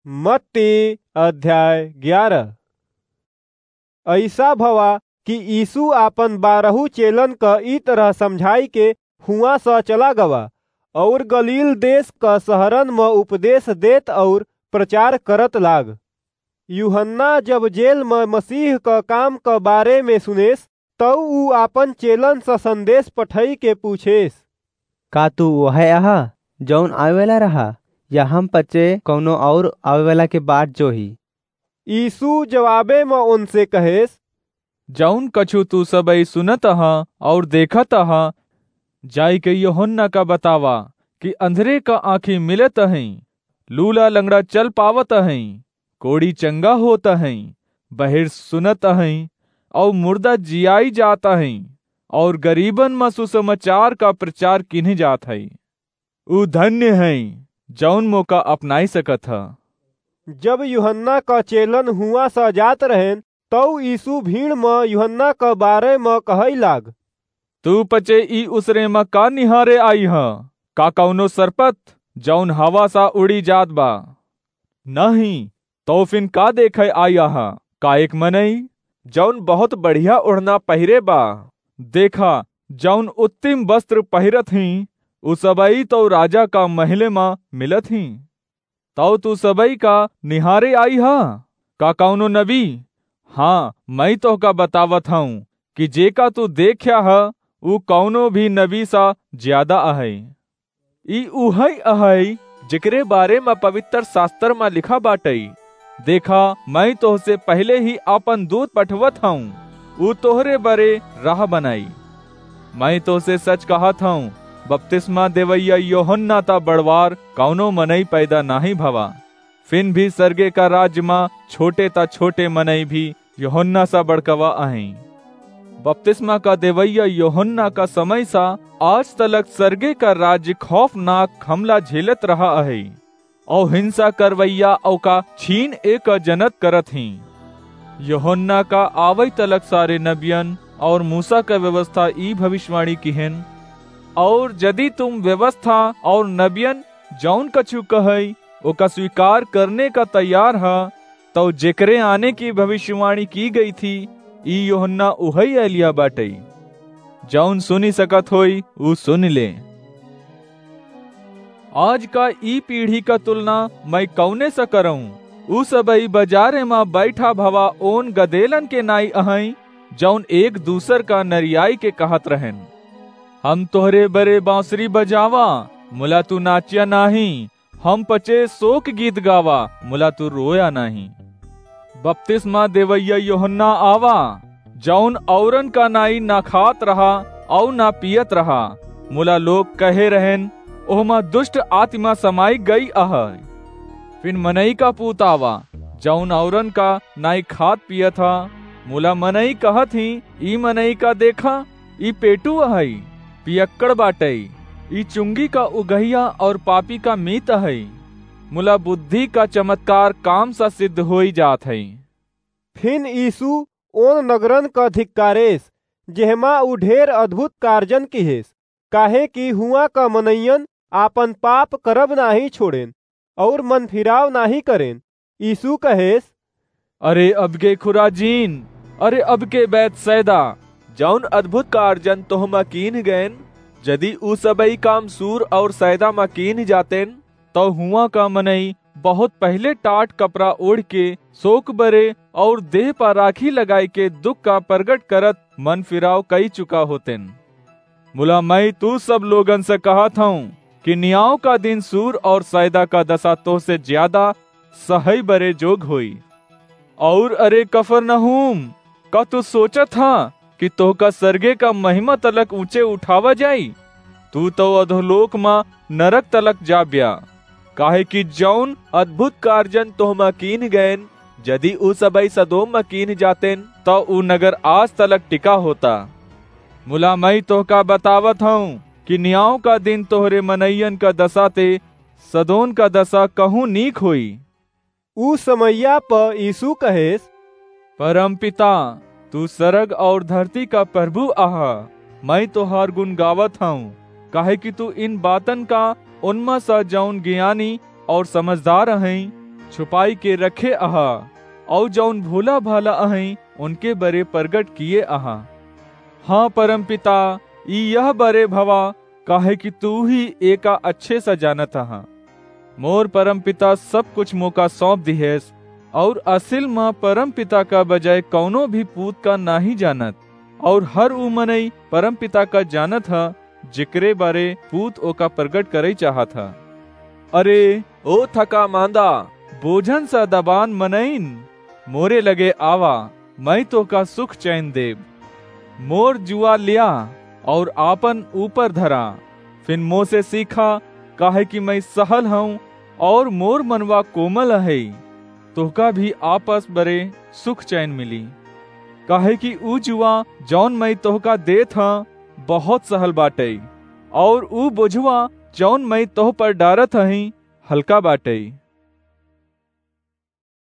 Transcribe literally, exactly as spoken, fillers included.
मत्ती अध्याय ग्यारह। अइसा भवा कि यीशु आपन बारहू चेलन क ई तरह समझाइ के हुआँ स चला गवा, अउर गलील देस क सहरन म उपदेस देत अउर प्रचार करत लाग। यूहन्ना जब जेल म मसीह क काम क बारे म सुनेस, तउ ऊ आपन चेलन स संदेस पठइ के पूछेस, "का तू ओहइ अहा, जउन आवेवाला रहा, या हम पचे कउनो अउर आवेवाला के बाट जोही?" यीशु जवाबे म ओनसे कहेस, "जउन कछु तू सबइ सुनत अहा अउर देखत अहा, जाइके यूहन्ना का बतावा कि अंधरे का आँखी मिलत अहइँ, लूला लंगड़ा चल पावत अहइँ, कोढ़ी चंगा होत अहइँ, बहिर सुनत अहइँ, अउर मुर्दा जियाइ जात अहइँ, अउर गरीबन म सुसमाचार का प्रचार किन्हे जात हइ। ऊ धन्य हइँ, जउन मोका अपनाइ सकत ह।" जब यूहन्ना क चेलन हुआँ स जात रहेन, तउ यीशु भीड़ म यूहन्ना क बारे म कहइ लाग, "तू पचे ई उसरे म का निहारे आइ ह? का कउनो सरपत, जउन हवा स उड़ी जात बा? नाहीं, तउ फिन का देखइ आइ अहा? का एक मनई, जउन बहुत बढ़िया ओढ़ना पहिरे बा? देखा, जउन उत्तिम वस्त्र पहिरत हीं, उ सबई तउ राजा का महले म मिलत हीं। तउ तू सबई का निहारे आइ ह? का कउनो नबी? हाँ, मइँ तोहका बतावत हउँ कि जेका तू देख्या ह, उ कउनो भी नबी स ज्यादा अहइ। ई उहइ अहइ, जेकरे बारे म पवित्र सास्तर म लिखा बाटइ, 'देखा, मइँ तोहसे पहिले ही आपन दूत पठवत हउँ, उ तोहरे बरे राह बनाई।' मइँ तोहसे सच कहत हउँ, बपतिस्मा देवइया यूहन्ना त बड़वार कउनो मनई पैदा नाहीं भवा, फिन भी सरगे का राज म छोटे त छोटे मनई भी यूहन्ना स बड़कवा अहइँ। बपतिस्मा का देवइया यूहन्ना का समय स आज तलक सरगे का राज खौफनाक हमला झेलत रहा अहइ, अउ हिंसा करवइया ओका छीन एक जनत करत हीं। यूहन्ना का आवइ तलक सारे नबियन अउर मूसा का व्यवस्था ई भविष्यवाणी किहेन, अउर जदि तुम व्यवस्था अउर नबियन जउन कछु कहइ, ओका स्वीकार करने का तैयार ह, तउ जेकरे आने की भविष्यवाणी की गई थी, ई यूहन्ना उहइ एलिया बाटइ। जउन सुनि सकत होई, ऊ सुनि ले। आज का ई पीढ़ी का तुलना मइँ कउने स करउँ? ऊ सबई बजारे म बइठा भवा ओन गदेलन के नाई अहइँ, जउन एक दूसर का नरियाई के कहत रहेन, "हम तोहरे बरे बाँसुरी बजावा, मुला तू नाच्या नाहीं, हम पचे सोक गीत गावा, मुला तू रोया नाहीं।" बपतिस्मा देवइया यूहन्ना आवा, जउन अउरन का नाई न खात रहा अउ न पियत रहा, मुला लोग कहे रहेन, "ओहमा दुष्ट आतिमा समाई गई अहइ।" फिन मनई का पूत आवा, जउन अउरन का नाई खात पियत ह, मुला मनई कहत हीं, "ई मनई का देखा, ई पेटू अहइ, पियक्कड़ बाटइ, ई चुंगी का उगहिया अउर पापी का मीत अहइ।" मुला बुद्धि का चमत्कार काम स सिद्ध होइ जात हइ। फिन यीशु ओन नगरन क धिक्कारेस, जेहमा ऊ ढेर अद्भुत कारजन किहेस, काहेकि हुआँ क मनइयन आपन पाप करब नाहीं छोड़ेन, अउर मन फिराव नाहीं करेन। यीशु कहेस, "अरे अबके खुराजीन, अरे अबके बैतसैदा, जउन अद्भुत कारजन तोहमा कीन्ह गएन, जदि ऊ सबई काम सूर अउर सैदा म कीन्ह जातेन, तउ हुआँ का मनई बहुत पहिले टाट कपड़ा ओढ़िके, सोक बरे अउर देह प राखी लगाइके दुख का परगट करत मन फिराव कइ चुका होतेन। मुला मइँ तू सब लोगन स कहत हउँ कि नियाव का दिन सूर अउर सैदा का दसा तोहसे ज्यादा सहइ बरे जोग होई। अउर अरे कफरनहूम, का तू सोचत ह कि तोहका सरगे का महिमा तलक ऊँचे उठावा जाई? तू तउ अधोलोक म नरक तलक जाब्या। काहेकि जउन अद्भुत कारजन तोहमा कीन्ह गएन, जदि ऊ सबई सदोम म कीन्ह जातेन, तउ ऊ नगर आज तलक टिका होता। मुला मइँ तोहका बतावत हउँ कि नियाव का दिन तोहरे मनइयन का दसा ते सदोम का दसा कहूँ नीक होई।" ऊ समइया प यीशु कहेस, "परमपिता, तू सरग अउर धरती का प्रभु अहा। मइँ तोहार गुन गावत हउँ, काहेकि तू इन बातन का ओनमा स जउन ज्ञानी अउर समझदार अहइँ, छुपाई के रखे अहा, अउर जउन भोला भाला अहइँ, उनके बरे परगट किए अहा। हाँ परमपिता, ई यह बरे भवा, काहे कि तू ही एका अच्छे स जानत अहा। मोर परमपिता सब कुछ मोका सौंप दिहेस, अउर असिल म परमपिता का बजाय कउनो भी पूत का नाहीं जानत, अउर हर ऊ मनई परमपिता का जानत ह, जेकरे बारे पूत ओका परगट करइ चाहत ह। अरे, ओ थका मांदा, बोझन स दबान मनइन, मोरे लगे आवा, मइँ तोहका सुख चैन देब। मोर जुआ लिया अउर आपन ऊपर धरा, फिन मोसे सीखा, काहे कि मइँ सहल हउँ अउर मोर मनवा कोमल अहइ। तोहका भी आपस बरे सुख चैन मिली, काहे कि ऊ जुआ जउन मइँ तोहका देत ह, बहुत सहल बाटइ, अउर ऊ बोझवा जउन मइँ तोह पर डारत हहीं, हल्का बाटइ।